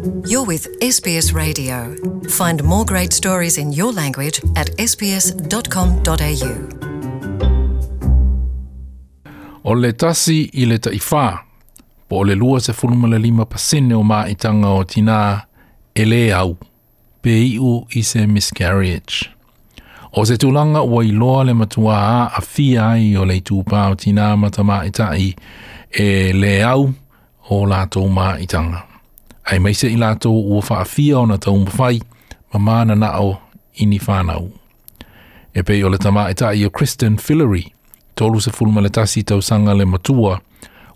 You're with SBS Radio. Find more great stories in your language at sbs.com.au. O le tasi i le taʻifa, po o le 25% o maʻitaga o tinā e lē au, pe iʻu i se miscarriage. O se tulaga ua iloa le matuā aafia ai o le itupā o tinā ma tamāitaʻi e lē au o latou maʻitaga. Aemaise i latou ua faafia ona taumafai ma mananaʻo i ni fanau. E pei o le tamāitaʻi o Kristen Fillery, 31 tausaga le matua,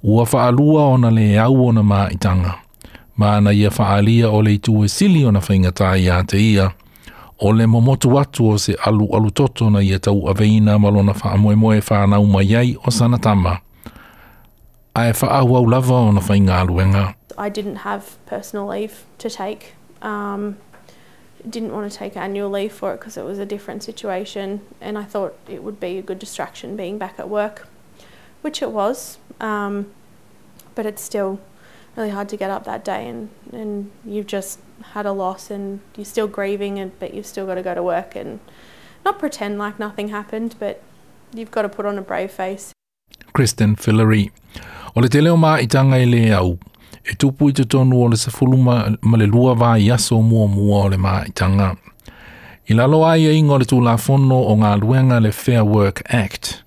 ua faalua ona lē au ona maʻitaga. Ma na ia faaalia o le itu e sili ona faigata iā te ia, o le momotu atu o se alualu toto na ia tauaveina ma lona faamoemoe e fanau mai ai o sana tama. Ae faaauau lava ona faigaluega. I didn't have personal leave to take. Didn't want to take annual leave for it because it was a different situation, and I thought it would be a good distraction being back at work, which it was. But it's still really hard to get up that day and you've just had a loss and you're still grieving, but you've still got to go to work and not pretend like nothing happened, but you've got to put on a brave face. Kristen Fillery. O le tele o maʻitaga e lē au, e tupu i totonu o le 12 vaiaso muamua o le maʻitaga. I lalo o aiaiga o le Tulafono o Galuega le Fair Work Act,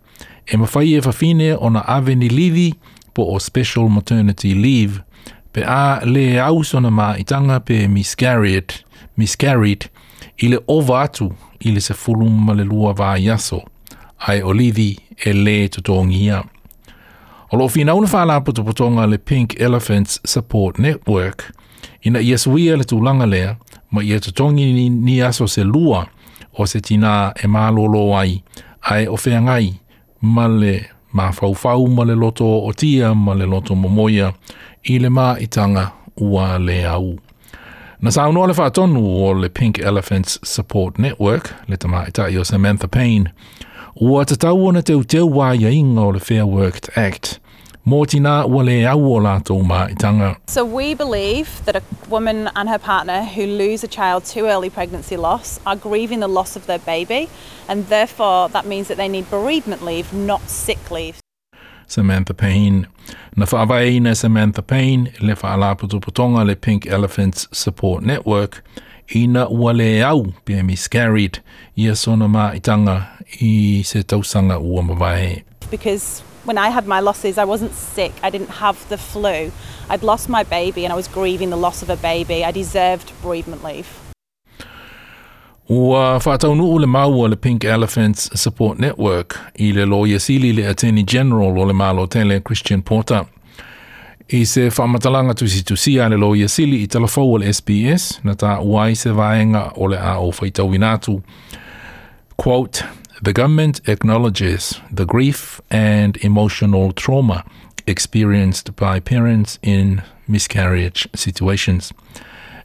e mafai e fafine ona ave ni livi po o special maternity leave pe a lē au sona maʻitaga pe miscarried i le ova atu i le 12 vaiaso, ae o livi e lē totogia. O loo finau le faalapotopotoga le Pink Elephants Support Network ina ia suia le tulaga lea ma ia totogi ni aso se lua o se tinā e malōlō ai ae o feagai ma le mafaufau ma le loto ootia ma le loto momoia i le maʻitaga ua lē au. Na saunoa le faatonu o le Pink Elephants Support Network, le tamāitaʻi o Samantha Payne, ua tatau ona teuteu aiaiga o le Fair Work Act mō tinā ua lē au o latou maʻitaga. So we believe that a woman and her partner who lose a child to early pregnancy loss are grieving the loss of their baby, and therefore that means that they need bereavement leave, not sick leave. Samantha Payne. Na faavaeina e Samantha Payne le faalapotopotoga le Pink Elephants Support Network ina ua lē au pe miscarried ia sona maʻitaga i se tausaga ua mavae. Because when I had my losses, I wasn't sick, I didn't have the flu. I'd lost my baby and I was grieving the loss of a baby. I deserved bereavement leave. Ua faataunuu le mau a le Pink Elephants Support Network i le Loia Sili le Attorney General o le Malo Tele Christian Porter. I se faamatalaga tusitusia a le Loia Sili i talafou o le SBS, na taua ai se vaega o le a ou faitauina atu. Quote, "The government acknowledges the grief and emotional trauma experienced by parents in miscarriage situations.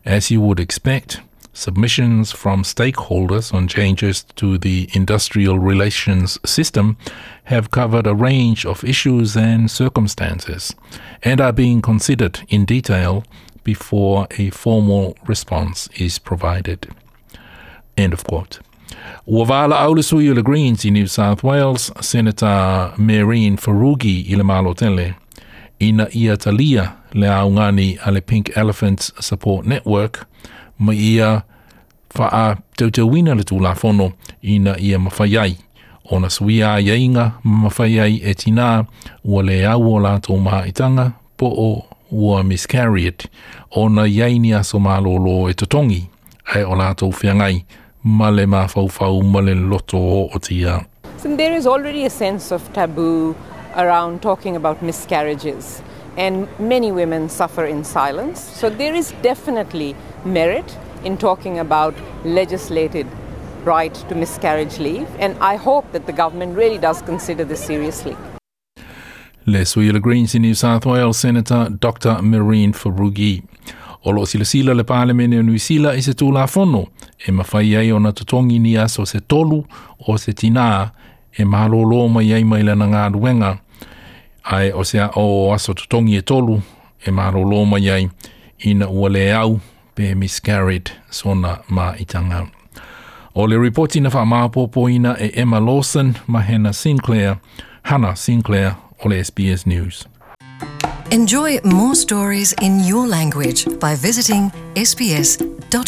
As you would expect, submissions from stakeholders on changes to the industrial relations system have covered a range of issues and circumstances and are being considered in detail before a formal response is provided." End of quote. Ua valaau le sui o le Greens i New South Wales, Senator Mehreen Faruqi i le Malo Tele, ina ia talia le augani a le Pink Elephants Support Network ma ia faateuteuina le Tulafono ina ia mafai ai ona suia aiaiga ma mafai ai e tinā ua lē au o latou maʻitaga po o ua miscarried ona i ai ni aso malōlō e totogi ae o latou feagai ma le mafaufau ma le loto ootia. So there is already a sense of taboo around talking about miscarriages, and many women suffer in silence. So there is definitely merit in talking about legislated right to miscarriage leave, and I hope that the government really does consider this seriously. Le sui o le Greens i New South Wales, Senator Dr. Mehreen Faruqi. O loo silasila le Palemene o Niu Sila i se Tulafono e mafai ai ona totogi ni aso se tolu o se tinā e malōlō mai ai mai lana galuega ae o se o aso totogi e tolu e malōlō mai ai Ina ua le au pe miscarried sona ma'itaga. O le ripoti na faamaopoopoina e Emma Lawson ma Hannah Sinclair, Hannah Sinclair o le SBS News. Enjoy more stories in your language by visiting sbs.com.au.